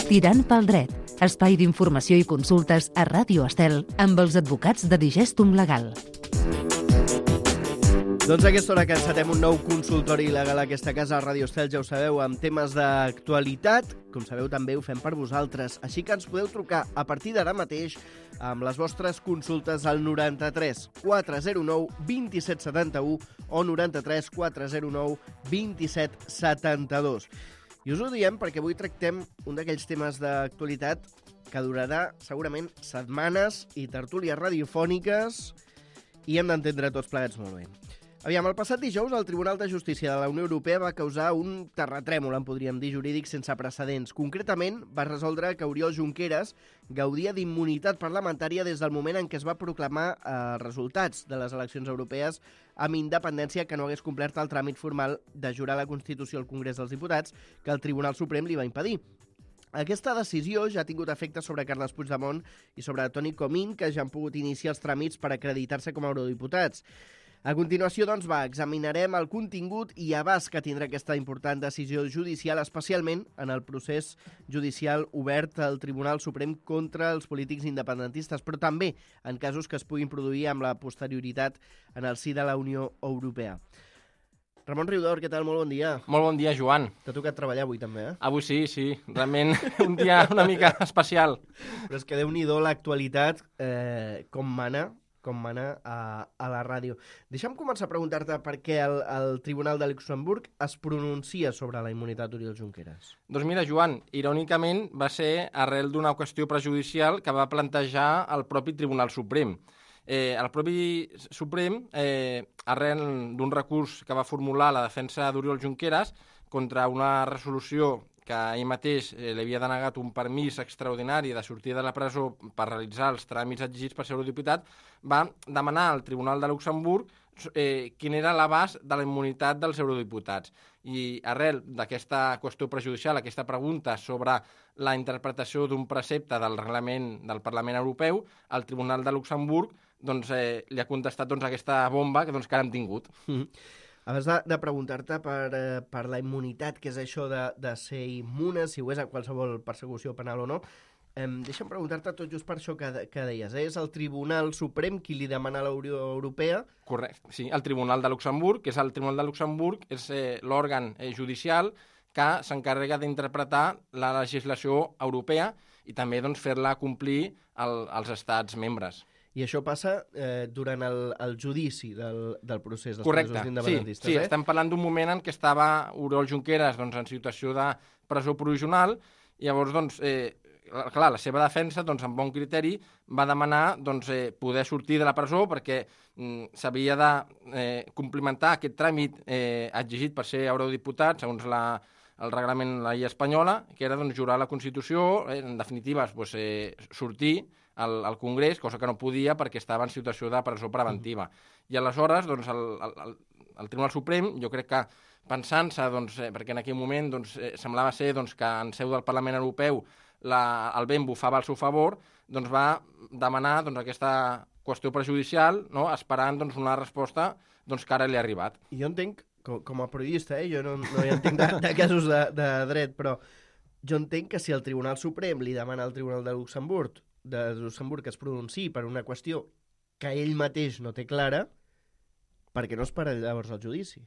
Tirant pel dret, espai d'informació i consultes a Ràdio Estel amb els advocats de Digestum Legal. Doncs a aquesta hora que encetem un nou consultori legal a aquesta casa a Ràdio Estel, ja ho sabeu, amb temes d'actualitat. Com sabeu, també ho fem per vosaltres. Així que ens podeu trucar a partir d'ara mateix amb les vostres consultes al 93 409 2771 o 93 409 2772. I us ho diem perquè avui tractem un d'aquells temes d'actualitat que durarà segurament setmanes i tertúlies radiofòniques i hem d'entendre tots plegats molt bé. Aviam, el passat dijous el Tribunal de Justícia de la Unió Europea va causar un terratrèmol, en podríem dir, jurídic sense precedents. Concretament, va resoldre que Oriol Junqueras gaudia d'immunitat parlamentària des del moment en què es va proclamar resultats de les eleccions europees amb independència que no hagués complert el tràmit formal de jurar la Constitució al Congrés dels Diputats que el Tribunal Suprem li va impedir. Aquesta decisió ja ha tingut efecte sobre Carles Puigdemont i sobre Toni Comín, que ja han pogut iniciar els tràmits per acreditar-se com a eurodiputats. A continuació, doncs, examinarem el contingut i abast que tindrà aquesta important decisió judicial, especialment en el procés judicial obert al Tribunal Suprem contra els polítics independentistes, però també en casos que es puguin produir amb la posterioritat en el si de la Unió Europea. Ramon Riudor, què tal? Molt bon dia. Molt bon dia, Joan. T'ha tocat treballar avui, també, eh? Avui sí. Realment un dia una mica especial. Però és que Déu-n'hi-do l'actualitat, com mana a la ràdio. Deixa'm començar a preguntar-te per què el Tribunal de Luxemburg es pronuncia sobre la immunitat d'Oriol Junqueras. Doncs mira, Joan, irònicament va ser arrel d'una qüestió prejudicial que va plantejar el propi Tribunal Suprem. El propi Suprem, arrel d'un recurs que va formular la defensa d'Oriol Junqueras contra una resolució que ell mateix li havia denegat un permís extraordinari de sortir de la presó per realitzar els tràmits exigits per ser eurodiputat, va demanar al Tribunal de Luxemburg quin era l'abast de la immunitat dels eurodiputats. I arrel d'aquesta qüestió prejudicial, aquesta pregunta sobre la interpretació d'un precepte del reglament del Parlament Europeu, el Tribunal de Luxemburg li ha contestat aquesta bomba que ara hem tingut. Abans de preguntar-te per la immunitat, que és això de ser immune, si ho és a qualsevol persecució penal o no, deixa'm preguntar-te tot just per això que deies. És el Tribunal Suprem qui li demana a la Unió Europea? Correcte, sí, el Tribunal de Luxemburg, que és el Tribunal de Luxemburg, és l'òrgan judicial que s'encarrega d'interpretar la legislació europea i també fer-la complir als estats membres. I això passa durant el judici del procés dels presos independentistes, sí, estem parlant d'un moment en què estava Oriol Junqueras en situació de presó provisional i llavors, clar, la seva defensa, amb bon criteri, va demanar poder sortir de la presó perquè s'havia de complimentar aquest tràmit exigit per ser eurodiputat, segons el reglament de la llei espanyola, que era jurar la Constitució, en definitiva, sortir al Congrés, cosa que no podia perquè estava en situació de presó preventiva. I aleshores, el Tribunal Suprem, jo crec que pensant-se, perquè en aquell moment semblava ser que en seu del Parlament Europeu el vent bufava al seu favor, va demanar aquesta qüestió prejudicial, esperant una resposta que ara li ha arribat. I jo entenc, com a periodista, jo no hi entenc de casos de dret, però jo entenc que si el Tribunal Suprem li demana al Tribunal de Luxemburg que es pronunciï per una qüestió que ell mateix no té clara, per què no es para llavors el judici?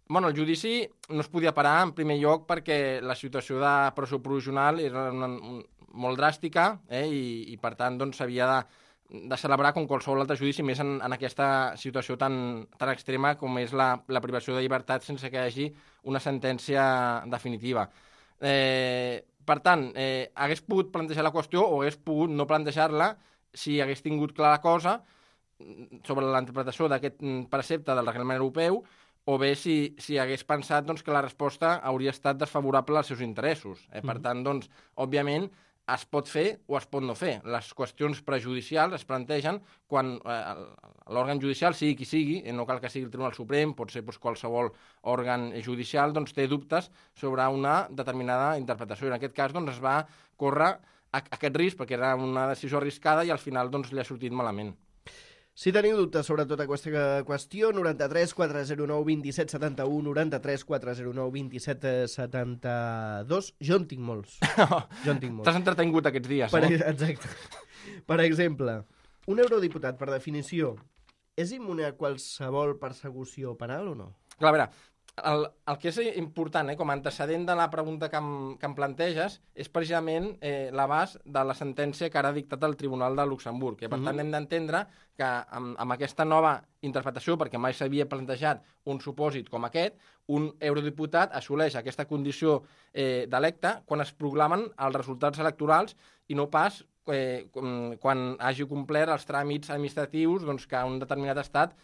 Bueno, el judici no es podia parar en primer lloc perquè la situació de presó provisional era molt dràstica i per tant s'havia de celebrar com qualsevol altre judici, més en aquesta situació tan extrema com és la privació de llibertat sense que hi hagi una sentència definitiva. Per tant, hagués pogut plantejar la qüestió o hagués pogut no plantejar-la si hagués tingut clara cosa sobre la interpretació d'aquest precepte del reglament europeu o bé si hagués pensat que la resposta hauria estat desfavorable als seus interessos. Per tant, òbviament, es pot fer o es pot no fer. Les qüestions prejudicials es plantegen quan l'òrgan judicial, sigui qui sigui, no cal que sigui el Tribunal Suprem, pot ser qualsevol òrgan judicial, té dubtes sobre una determinada interpretació. En aquest cas es va córrer aquest risc perquè era una decisió arriscada i al final li ha sortit malament. Si teniu dubtes sobre tota aquesta qüestió, 93 409 27 71, 93 409 27 72. Jo en tinc molts. T'has entretingut aquests dies, Exacte. Per exemple, un eurodiputat, per definició, és immune a qualsevol persecució penal o no? Clar, a veure, el que és important, com a antecedent de la pregunta que em planteges, és precisament l'abast de la sentència que ara ha dictat el Tribunal de Luxemburg. Per tant, hem d'entendre que amb aquesta nova interpretació, perquè mai s'havia plantejat un supòsit com aquest, un eurodiputat assoleix aquesta condició d'electe quan es proclamen els resultats electorals i no pas quan hagi complert els tràmits administratius que un determinat estat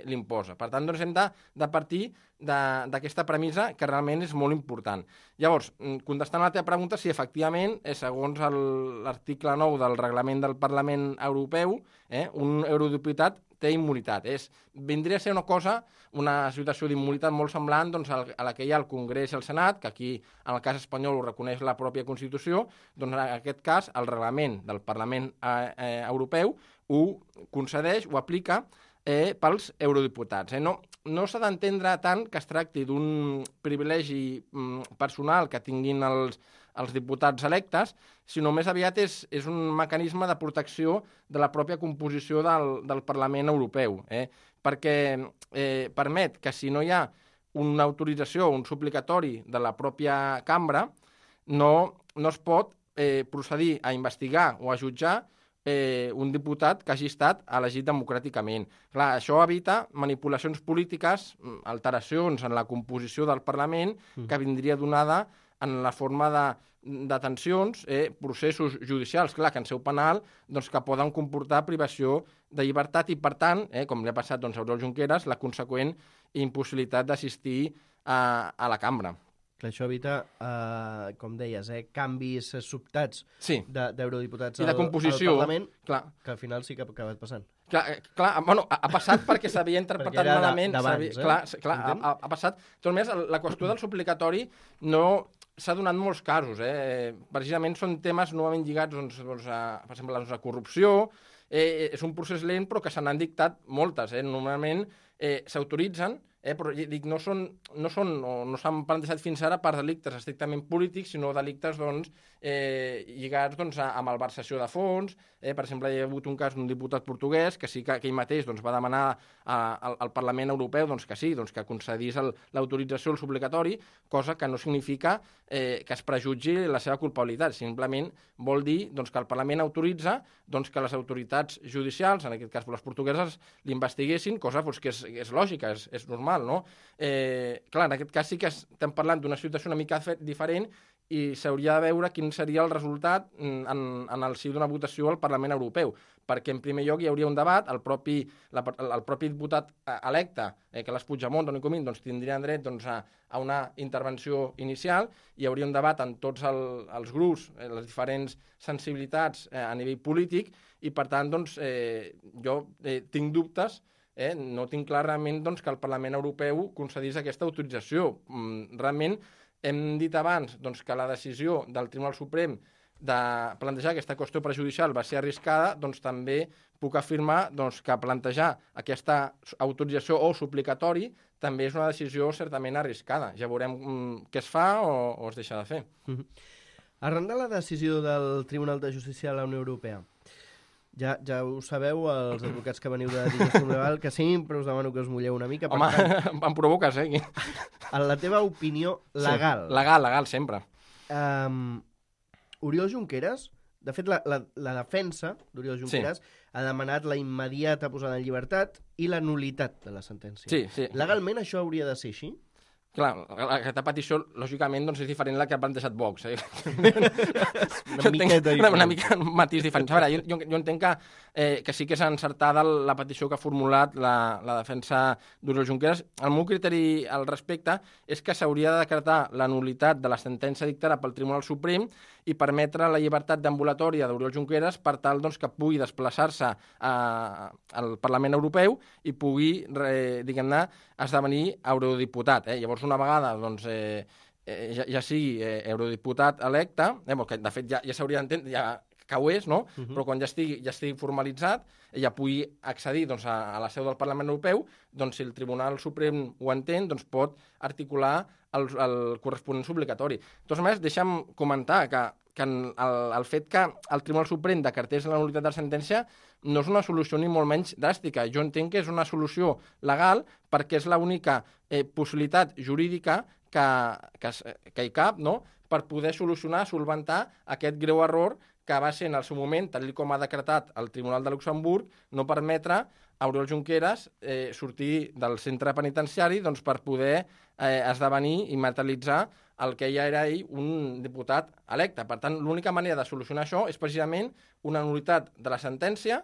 l'imposa. Per tant, hem de partir d'aquesta premissa que realment és molt important. Llavors, contestant a la teva pregunta, si efectivament, segons l'article 9 del reglament del Parlament Europeu, un eurodiputat té immunitat. Vindria a ser una situació d'immunitat molt semblant a la que hi ha al Congrés i al Senat, que aquí, en el cas espanyol, ho reconeix la pròpia Constitució, en aquest cas, el reglament del Parlament Europeu ho concedeix, ho aplica pels eurodiputats. No s'ha d'entendre tant que es tracti d'un privilegi personal que tinguin els diputats electes, sinó més aviat és un mecanisme de protecció de la pròpia composició del Parlament Europeu, perquè permet que si no hi ha una autorització, un suplicatori de la pròpia cambra, no es pot procedir a investigar o a jutjar un diputat que hagi estat elegit democràticament. Clar, això evita manipulacions polítiques, alteracions en la composició del Parlament, que vindria donada en la forma de detencions, processos judicials, clar, que en seu penal, que poden comportar privació de llibertat i, per tant, com li ha passat a Oriol Junqueras, la conseqüent impossibilitat d'assistir a la cambra. Clar, això evita, com deies, canvis sobtats d'eurodiputats al Parlament, clar, que al final sí que ha acabat passant. Clar, ha passat perquè s'havia interpretat malament. Ha passat. Tot més, la qüestió del suplicatori no s'ha donat molts casos. Precisament són temes novament lligats, per exemple, a corrupció. És un procés lent, però que se n'han dictat moltes. Normalment s'autoritzen, però dic, no s'han plantejat fins ara per delictes estrictament polítics, sinó delictes lligats a malversació de fons. Per exemple, hi ha hagut un cas d'un diputat portuguès que sí que ell mateix va demanar al Parlament Europeu que concedís l'autorització al suplicatori, cosa que no significa que es prejutgi la seva culpabilitat. Simplement vol dir que el Parlament autoritza que les autoritats judicials, en aquest cas les portugueses, l'investiguessin, cosa que és lògica, és normal, no? Clar, en aquest cas sí que estem parlant d'una situació una mica diferent i s'hauria de veure quin seria el resultat en el si d'una votació al Parlament Europeu, perquè en primer lloc hi hauria un debat, el propi diputat electe, Carles Puigdemont, Toni Comín, tindrien dret a una intervenció inicial, hi hauria un debat en tots els grups, les diferents sensibilitats a nivell polític, i per tant jo tinc dubtes, no tinc clar realment que el Parlament Europeu concedís aquesta autorització. Realment hem dit abans que la decisió del Tribunal Suprem de plantejar aquesta qüestió prejudicial va ser arriscada, també puc afirmar que plantejar aquesta autorització o suplicatori també és una decisió certament arriscada. Ja veurem què es fa o es deixa de fer. Arran de la decisió del Tribunal de Justícia de la Unió Europea, ja ho sabeu, els advocats que veniu de Digestum Legal, que sempre us demano que us mulleu una mica. Home, em provoques, Aquí. En la teva opinió legal. Sí, legal, sempre. Oriol Junqueras, de fet, la defensa d'Oriol Junqueras ha demanat la immediata posada en llibertat i la nulitat de la sentència. Sí. Legalment això hauria de ser així? Clar, aquesta petició, lògicament, és diferent de la que ha plantejat Vox. Una mica un matís diferent. A veure, jo entenc que sí que és encertada la petició que ha formulat la defensa d'Oriol Junqueras. El meu criteri al respecte és que s'hauria de decretar la nulitat de la sentència dictada pel Tribunal Suprem i permetre la llibertat d'ambulatòria d'Oriol Junqueras per tal que pugui desplaçar-se al Parlament Europeu i pugui, diguem-ne, esdevenir eurodiputat. Llavors, una vegada ja sigui eurodiputat electe, que de fet ja s'hauria d'entendre, ho és, no? Però quan ja estigui formalitzat, ja pugui accedir doncs, a la seu del Parlament Europeu, doncs, si el Tribunal Suprem ho entén, doncs, pot articular el corresponent obligatori. De totes maneres, deixa'm comentar que el fet que el Tribunal Suprem decretés la nul·litat de la sentència no és una solució ni molt menys dràstica. Jo entenc que és una solució legal perquè és l'única possibilitat jurídica que hi cap, no?, per poder solventar aquest greu error que va ser en el seu moment, tal com ha decretat el Tribunal de Luxemburg, no permetre a Oriol Junqueras sortir del centre penitenciari doncs, per poder esdevenir i materialitzar el que ja era ell un diputat electe. Per tant, l'única manera de solucionar això és precisament una nul·litat de la sentència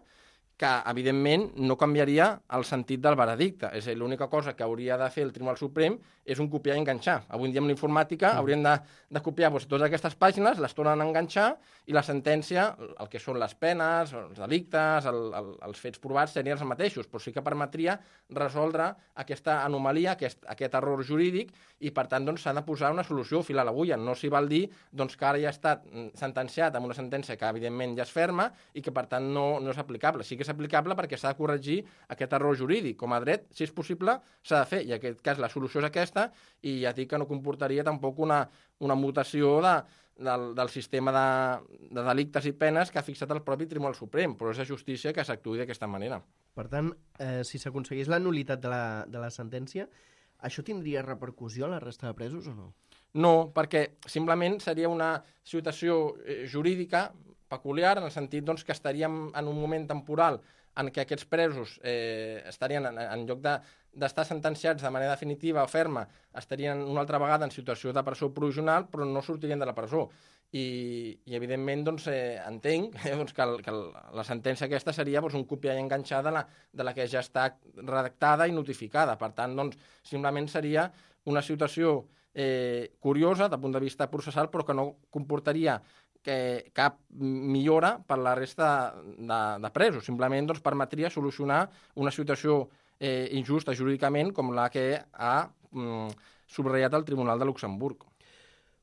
que, evidentment, no canviaria el sentit del veredicte. És a dir, l'única cosa que hauria de fer el Tribunal Suprem és un copiar i enganxar. Avui en dia, amb la informàtica, haurien de copiar totes aquestes pàgines, les tornen a enganxar, i la sentència, el que són les penes, els delictes, els fets provats, serien els mateixos, però sí que permetria resoldre aquesta anomalia, aquest error jurídic, i, per tant, doncs, s'ha de posar una solució fil a l'agulla. No s'hi val dir doncs, que ara ja ha estat sentenciat amb una sentència que, evidentment, ja és ferma i que, per tant, no és aplicable. Sí que és aplicable perquè s'ha de corregir aquest error jurídic. Com a dret, si és possible, s'ha de fer. I en aquest cas la solució és aquesta, i ja dic que no comportaria tampoc una mutació del sistema de delictes i penes que ha fixat el propi Tribunal Suprem, però és de justícia que s'actuï d'aquesta manera. Per tant, si s'aconseguís la nul·litat de la sentència, això tindria repercussió a la resta de presos o no? No, perquè simplement seria una situació jurídica peculiar, en el sentit doncs, que estaríem en un moment temporal en què aquests presos estarien, en lloc d'estar sentenciats de manera definitiva o ferma, estarien una altra vegada en situació de presó provisional, però no sortirien de la presó. I evidentment, doncs, entenc doncs, que la sentència aquesta seria doncs, un copiar i enganxar de la que ja està redactada i notificada. Per tant, doncs, simplement seria una situació curiosa, del punt de vista processal, però que no comportaria cap millora per la resta de presos. Simplement doncs, permetria solucionar una situació injusta jurídicament com la que ha subratllat el Tribunal de Luxemburg.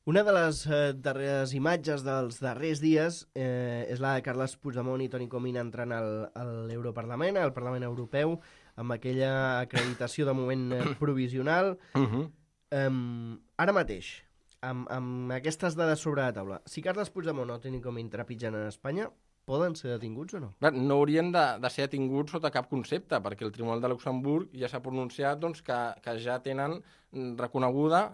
Una de les darreres imatges dels darrers dies és la de Carles Puigdemont i Toni Comín entrant a l'Europarlament, al Parlament Europeu, amb aquella acreditació de moment provisional. Ara mateix, amb aquestes dades sobre la taula, si Carles Puigdemont o Toni Comín trepitgen en Espanya, poden ser detinguts o no? No haurien de ser detinguts sota cap concepte, perquè el Tribunal de Luxemburg ja s'ha pronunciat doncs, que ja tenen reconeguda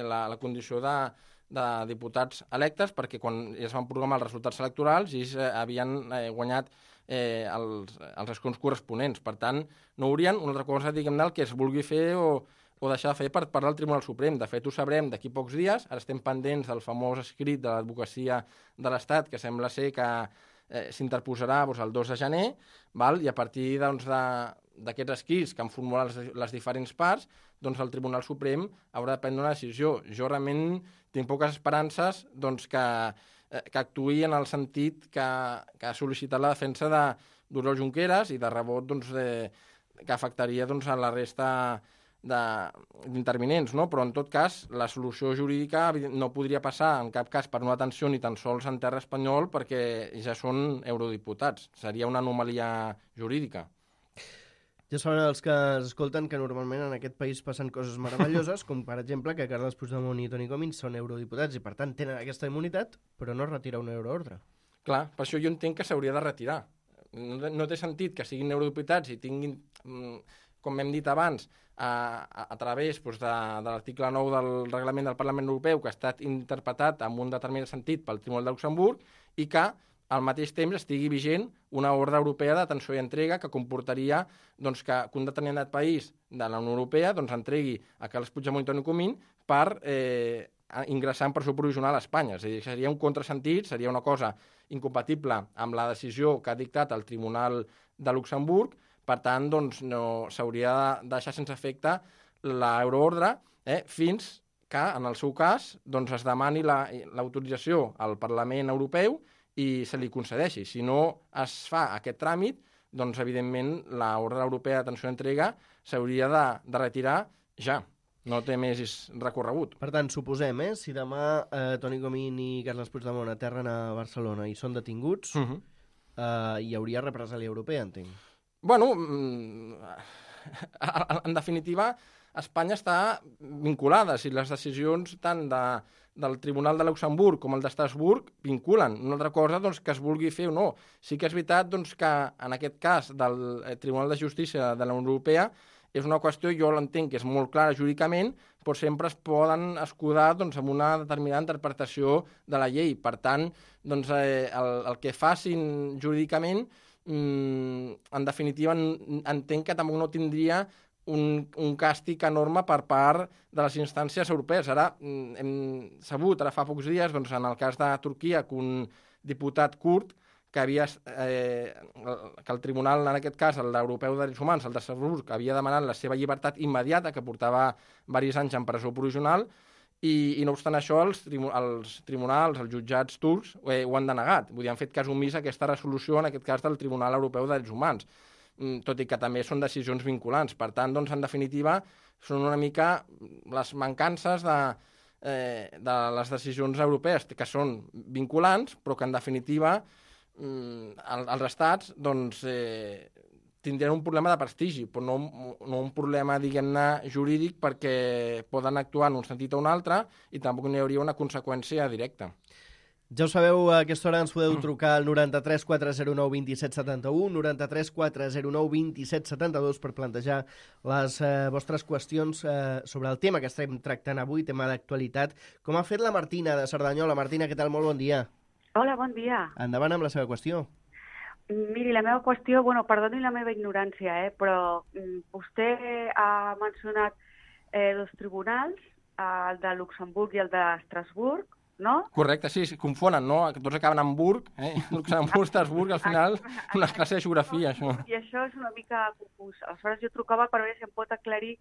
la condició de diputats electes, perquè quan es van programar els resultats electorals ells havien guanyat els escons corresponents. Per tant, no haurien una altra cosa, diguem-ne, el que es vulgui fer o deixar de fer per part del Tribunal Suprem. De fet, ho sabrem d'aquí pocs dies. Ara estem pendents del famós escrit de l'advocacia de l'Estat, que sembla ser que s'interposarà el 2 de gener, i a partir d'aquests escrits que han formulat les diferents parts, doncs el Tribunal Suprem haurà de prendre una decisió. Jo realment tinc poques esperances que actuï en el sentit que ha sol·licitat la defensa d'Oriol Junqueras i de rebot que afectaria a la resta d'intervinents, no? Però en tot cas la solució jurídica no podria passar en cap cas per una detenció ni tan sols en terra espanyol, perquè ja són eurodiputats. Seria una anomalia jurídica. Ja saben els que es escolten que normalment en aquest país passen coses meravelloses, com per exemple que Carles Puigdemont i Toni Comín són eurodiputats i per tant tenen aquesta immunitat, però no retira una euroordre. Clar, per això jo entenc que s'hauria de retirar. No té sentit que siguin eurodiputats i tinguin, com hem dit abans, a través de l'article 9 del reglament del Parlament Europeu, que ha estat interpretat amb un determinat sentit pel Tribunal de Luxemburg, i que al mateix temps estigui vigent una ordre europea de detenció i entrega que comportaria que un determinat país de la Unió Europea entregui a Carles Puigdemont i Toni Comín per ingressar en presó provisional a Espanya. És a dir, seria un contrasentit, seria una cosa incompatible amb la decisió que ha dictat el Tribunal de Luxemburg. Per tant, no s'hauria de deixar sense efecte l'euroordre fins que, en el seu cas, es demani l'autorització al Parlament Europeu i se li concedeixi. Si no es fa aquest tràmit, evidentment, l'ordre europea de detenció i entrega s'hauria de retirar ja. No té més recorregut. Per tant, suposem, si demà Toni Comín i Carles Puigdemont aterren a Barcelona i són detinguts, hi hauria represàlia europea, entenc. Bueno, en definitiva, Espanya està vinculada. Si les decisions tant del Tribunal de Luxemburg com el d'Estrasburg vinculen. Una altra cosa doncs, que es vulgui fer o no. Sí que és veritat doncs, que en aquest cas del Tribunal de Justícia de la Unió Europea és una qüestió, jo l'entenc que és molt clara jurídicament, però sempre es poden escudar doncs, amb una determinada interpretació de la llei. Per tant, doncs, el que facin jurídicament, en definitiva, entenc que tampoc no tindria un càstig enorme per part de les instàncies europees. Ara hem sabut, ara fa pocs dies, doncs, en el cas de Turquia, que un diputat kurd que el tribunal, en aquest cas, l'Europeu de Drets Humans, el d'Estrasburg, havia demanat la seva llibertat immediata, que portava diversos anys en presó provisional, i no obstant això, els tribunals, els jutjats turcs, ho han denegat. Vull dir, han fet cas omís a aquesta resolució, en aquest cas, del Tribunal Europeu de Drets Humans, tot i que també són decisions vinculants. Per tant, doncs, en definitiva, són una mica les mancances de les decisions europees, que són vinculants, però que, en definitiva, els estats doncs, tindran un problema de prestigi, però no un problema, diguem-ne, jurídic, perquè poden actuar en un sentit o un altre i tampoc n'hi hauria una conseqüència directa. Ja ho sabeu, a aquesta hora ens podeu trucar al 93 409 27 71, 93 409 27 72 per plantejar les vostres qüestions sobre el tema que estem tractant avui, tema d'actualitat, com ha fet la Martina de Cerdanyola. Martina, què tal? Molt bon dia. Hola, bon dia. Endavant amb la seva qüestió. Miri, la meva qüestió, perdoni la meva ignorància, però vostè ha mencionat dos tribunals, el de Luxemburg i el d'Estrasburg, no? Correcte, sí, confonen, no? Tots acaben en Burg, Luxemburg, Estrasburg, al final, una classe de geografia, això. I això és una mica confús. Aleshores, jo trucava per veure si em pot aclarir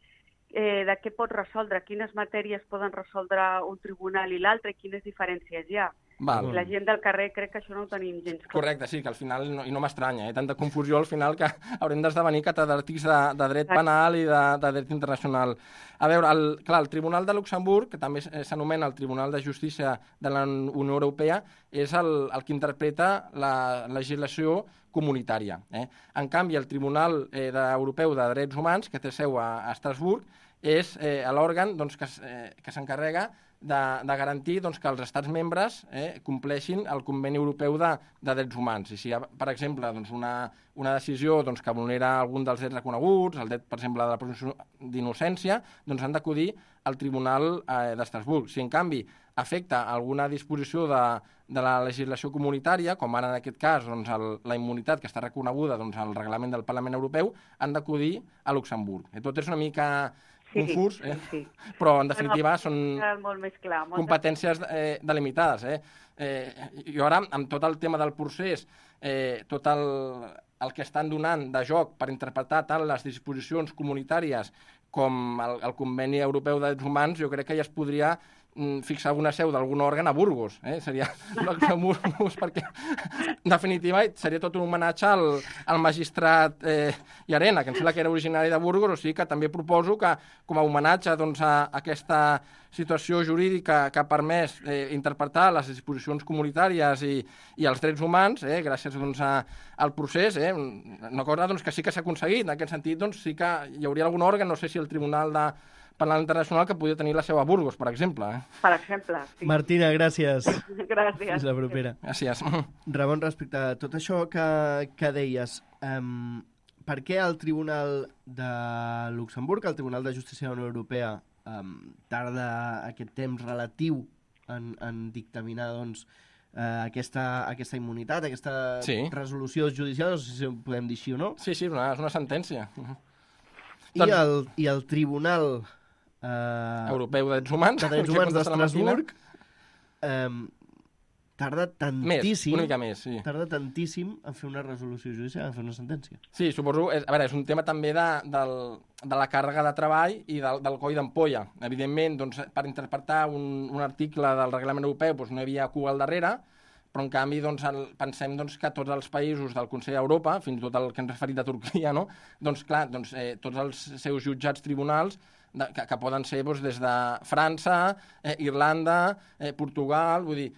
de què pot resoldre, quines matèries poden resoldre un tribunal i l'altre i quines diferències hi ha. Val. La gent del carrer crec que això no ho tenim gens clar. Correcte, sí, que al final, i no m'estranya, tanta confusió al final que haurem d'esdevenir catedràtics de dret penal i de dret internacional. A veure, el Tribunal de Luxemburg, que també s'anomena el Tribunal de Justícia de la Unió Europea, és el que interpreta la legislació comunitària. En canvi, el Tribunal Europeu de Drets Humans, que té seu a Estrasburg, és l'òrgan doncs, que s'encarrega de garantir doncs, que els estats membres compleixin el Conveni Europeu de Drets Humans. I si hi ha, per exemple, doncs, una decisió doncs, que vulnera algun dels drets reconeguts, el dret, per exemple, de la presumpció d'innocència, doncs han d'acudir al Tribunal d'Estrasburg. Si, en canvi, afecta alguna disposició de la legislació comunitària, com ara en aquest cas doncs, la immunitat que està reconeguda doncs, al reglament del Parlament Europeu, han d'acudir a Luxemburg. Tot és una mica confús, sí. Però en definitiva són molt més clar, competències delimitades. Jo ara, amb tot el tema del procés, tot el que estan donant de joc per interpretar tant les disposicions comunitàries com el Conveni Europeu de Drets Humans, jo crec que ja es podria fixar una seu d'algun òrgan a Burgos. Seria Burgos perquè, en definitiva, seria tot un homenatge al magistrat Llarena, que em sembla que era originari de Burgos, o sigui que també proposo que, com a homenatge doncs, a aquesta situació jurídica que ha permès interpretar les disposicions comunitàries i els drets humans, gràcies doncs, al procés, una cosa doncs, que sí que s'ha aconseguit. En aquest sentit, doncs, sí que hi hauria algun òrgan, no sé si el Tribunal Penal Internacional, que podria tenir la seu a Burgos, per exemple. Per exemple, sí. Martina, gràcies. Gràcies. Fins la propera. Gràcies. Ramon, respecte a tot això que deies, per què el Tribunal de Luxemburg, el Tribunal de Justícia de la Unió Europea, tarda aquest temps relatiu en dictaminar doncs, aquesta immunitat, aquesta resolució judicial, no sé si ho podem dir així o no? Sí, és una sentència. I el Tribunal Europeu de Drets Humans d'Estrasburg tarda tantíssim, una mica més, sí. Tarda tantíssim en fer una resolució judicial, en fer una sentència. Sí, suposo, és un tema també de la càrrega de treball i del coll d'ampolla. Evidentment, doncs, per interpretar un article del reglament europeu doncs, no hi havia cua al darrere, però en canvi doncs, pensem doncs, que tots els països del Consell d'Europa, fins i tot el que hem referit de Turquia, no? Doncs clar, tots els seus jutjats tribunals que poden ser doncs, des de França, Irlanda, Portugal, vull dir,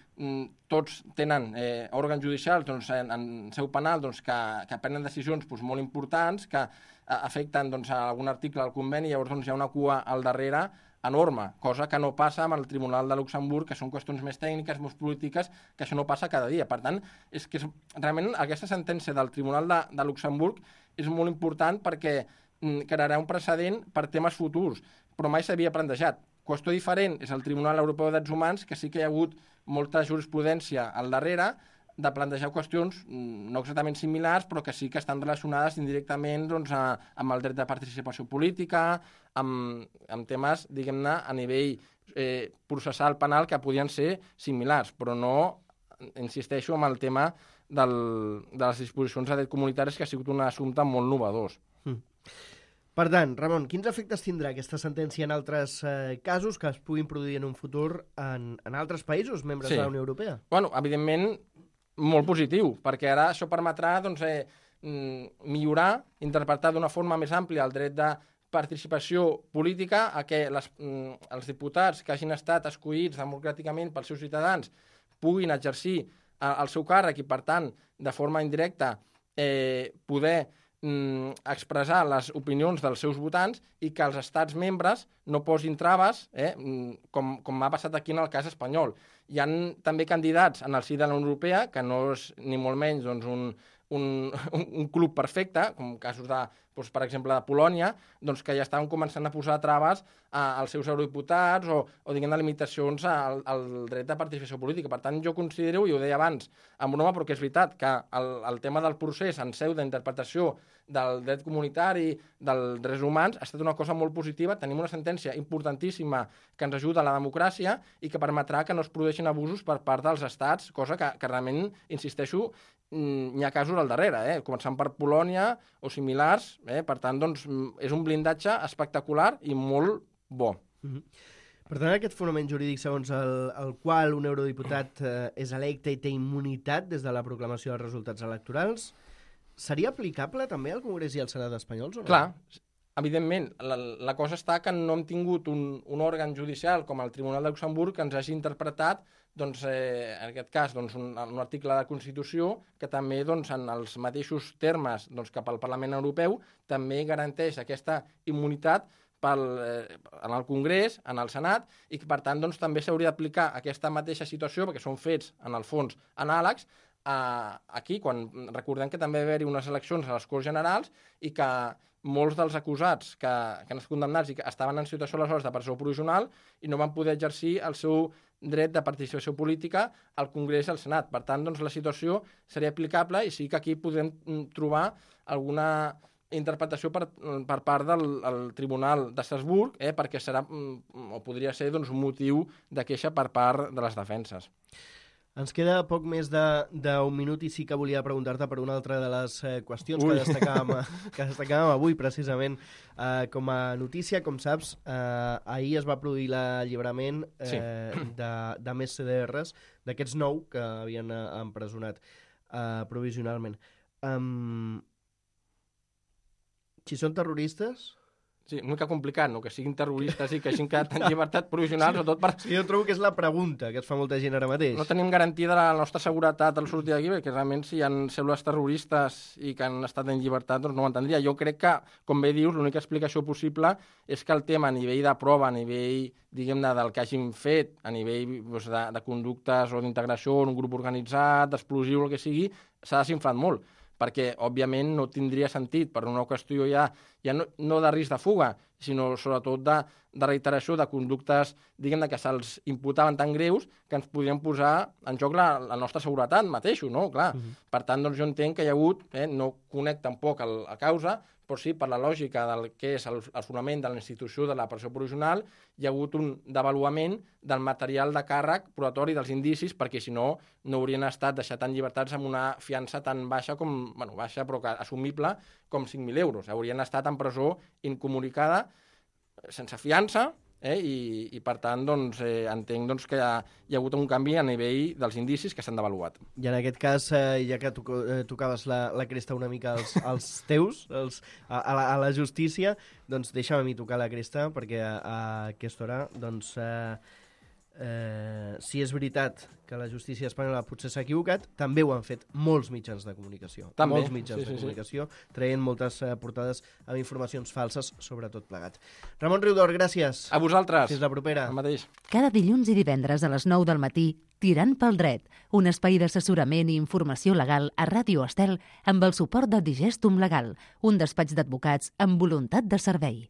tots tenen òrgans judicials doncs, en seu penal doncs, que prenen decisions doncs, molt importants, que afecten doncs, a algun article del conveni, llavors doncs, hi ha una cua al darrere enorme, cosa que no passa amb el Tribunal de Luxemburg, que són qüestions més tècniques, més polítiques, que això no passa cada dia. Per tant, és que realment aquesta sentència del Tribunal de Luxemburg és molt important perquè crearà un precedent per temes futurs, però mai s'havia plantejat. Qüestió diferent és el Tribunal Europeu de Drets Humans, que sí que hi ha hagut molta jurisprudència al darrere de plantejar qüestions no exactament similars, però que sí que estan relacionades indirectament doncs, amb el dret de participació política, amb temes, diguem-ne, a nivell processal penal que podien ser similars, però no, insisteixo, amb el tema de les disposicions de dret comunitaris, que ha sigut un assumpte molt innovador. Per tant, Ramon, quins efectes tindrà aquesta sentència en altres casos que es puguin produir en un futur en altres països membres de la Unió Europea? Bueno, evidentment, molt positiu, perquè ara això permetrà doncs, millorar, interpretar d'una forma més àmplia el dret de participació política, a que els diputats que hagin estat escollits democràticament pels seus ciutadans puguin exercir el seu càrrec i, per tant, de forma indirecta, poder expressar les opinions dels seus votants i que els estats membres no posin traves, com ha passat aquí en el cas espanyol. Hi ha també candidats en el si de la Unió Europea, que no és ni molt menys doncs, un club perfecte, com casos de, doncs, per exemple, de Polònia, doncs, que ja estaven començant a posar traves als seus eurodiputats o diguem-ne, limitacions al dret de participació política. Per tant, jo considero, i ho deia abans, amb broma, però que és veritat, que el tema del procés en seu d'interpretació del dret comunitari, dels drets humans, ha estat una cosa molt positiva. Tenim una sentència importantíssima que ens ajuda a la democràcia i que permetrà que no es produeixin abusos per part dels estats, cosa que realment, insisteixo, n'hi ha casos al darrere, començant per Polònia o similars. Per tant, doncs, és un blindatge espectacular i molt bo. Per tant, aquest fonament jurídic segons el qual un eurodiputat és electe i té immunitat des de la proclamació dels resultats electorals, seria aplicable també al Congrés i al Senat espanyols o no? Clar, evidentment. La cosa està que no hem tingut un òrgan judicial com el Tribunal de Luxemburg que ens hagi interpretat, doncs, en aquest cas, doncs, un article de Constitució que també, doncs, en els mateixos termes doncs, que pel Parlament Europeu també garanteix aquesta immunitat en el Congrés, en el Senat, i que, per tant, doncs, també s'hauria d'aplicar aquesta mateixa situació, perquè són fets, en el fons, anàlegs, aquí, quan recordem que també va haver-hi unes eleccions a les Corts Generals i que molts dels acusats que han estat condemnats i que estaven en situació aleshores de presó provisional i no van poder exercir el seu dret de participació política al Congrés i al Senat. Per tant, doncs, la situació seria aplicable i sí que aquí podem trobar alguna interpretació per part del Tribunal d'Estrasburg, perquè serà, o podria ser, doncs, un motiu de queixa per part de les defenses. Ens queda poc més d'un minut i sí que volia preguntar-te per una altra de les qüestions que destacàvem avui, precisament, com a notícia. Com saps, ahir es va produir l'alliberament de més CDRs, d'aquests 9 que havien empresonat provisionalment. Si són terroristes... Sí, una mica complicat, no? Que siguin terroristes i que hagin quedat en llibertat provisional, sobretot per... Sí, jo trobo que és la pregunta que es fa molta gent ara mateix. No tenim garantia de la nostra seguretat al sortir d'aquí, perquè realment si hi ha cèl·lules terroristes i que han estat en llibertat, doncs no ho entendria. Jo crec que, com bé dius, l'única explicació possible és que el tema a nivell de prova, a nivell, diguem-ne, del que hagin fet, a nivell doncs, de conductes o d'integració en un grup organitzat, d'explosiu, el que sigui, s'ha desinflat molt, perquè, òbviament, no tindria sentit per una qüestió ja no de risc de fuga, sinó sobretot de reiteració de conductes, diguem-ne, que se'ls imputaven tan greus que ens podrien posar en joc la nostra seguretat mateixos, no? Clar. Per tant, doncs, jo entenc que hi ha hagut, no conec tampoc la causa, però sí, per la lògica del que és el fonament de la institució de la presó provisional, hi ha hagut un devaluament del material de càrrec probatori dels indicis, perquè si no, no haurien estat deixat en llibertats amb una fiança tan baixa com, bueno, baixa però que assumible com 5.000 euros. Haurien estat en presó incomunicada, sense fiança, i per tant entenc que hi ha hagut un canvi a nivell dels indicis que s'han devaluat. I en aquest cas, ja que tocaves la cresta una mica als teus, a la justícia, doncs deixa'm a mi tocar la cresta, perquè a aquesta hora, doncs, si és veritat que la justícia espanyola potser s'ha equivocat, també ho han fet molts mitjans de comunicació. També. Molts mitjans de comunicació, traient moltes portades amb informacions falses sobre tot plegat. Ramon Riudor, gràcies. A vosaltres. Fins la propera. El mateix. Cada dilluns i divendres a les 9 del matí, Tirant pel dret, un espai d'assessorament i informació legal a Ràdio Estel amb el suport de Digestum Legal, un despatx d'advocats amb voluntat de servei.